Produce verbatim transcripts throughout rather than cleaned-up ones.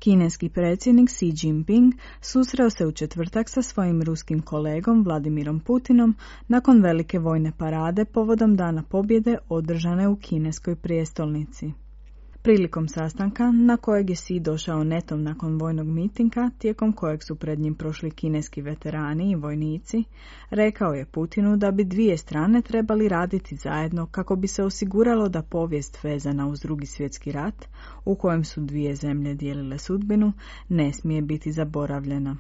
Kineski predsjednik Xi Jinping susreo se u četvrtak sa svojim ruskim kolegom Vladimirom Putinom nakon velike vojne parade povodom Dana pobjede održane u kineskoj prijestolnici. Prilikom sastanka, na kojeg je Xi došao netom nakon vojnog mitinga, tijekom kojeg su pred njim prošli kineski veterani i vojnici, rekao je Putinu da bi dvije strane trebali raditi zajedno kako bi se osiguralo da povijest vezana uz Drugi svjetski rat, u kojem su dvije zemlje dijelile sudbinu, ne smije biti zaboravljena.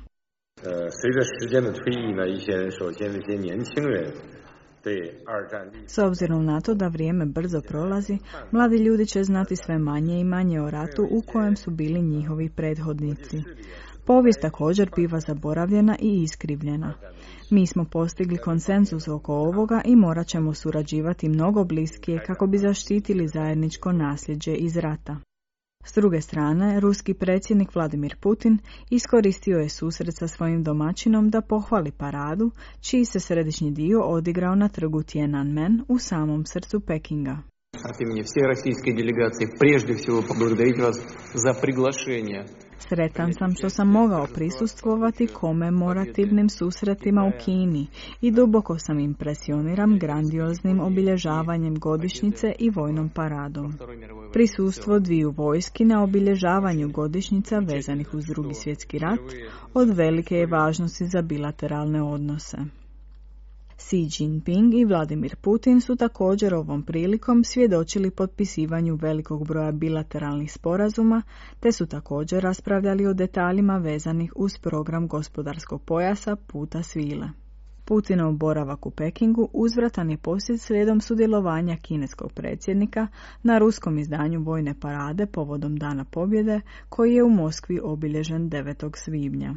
S obzirom na to da vrijeme brzo prolazi, mladi ljudi će znati sve manje i manje o ratu u kojem su bili njihovi prethodnici. Povijest također biva zaboravljena i iskrivljena. Mi smo postigli konsenzus oko ovoga i morat ćemo surađivati mnogo bliskije kako bi zaštitili zajedničko nasljeđe iz rata. S druge strane, ruski predsjednik Vladimir Putin iskoristio je susret sa svojim domaćinom da pohvali paradu, čiji se središnji dio odigrao na trgu Tiananmen u samom srcu Pekinga. От имени всей российской делегации прежде всего поблагодарить вас за приглашение. Sretan sam što sam mogao prisustvovati komemorativnim susretima u Kini i duboko sam impresioniran grandioznim obilježavanjem godišnjice i vojnom paradom. Prisustvo dviju vojski na obilježavanju godišnjica vezanih uz Drugi svjetski rat od velike je važnosti za bilateralne odnose. Xi Jinping i Vladimir Putin su također ovom prilikom svjedočili potpisivanju velikog broja bilateralnih sporazuma, te su također raspravljali o detaljima vezanih uz program gospodarskog pojasa Puta svile. Putinov boravak u Pekingu uzvratan je posjet slijedom sudjelovanja kineskog predsjednika na ruskom izdanju vojne parade povodom Dana pobjede, koji je u Moskvi obilježen devetog svibnja.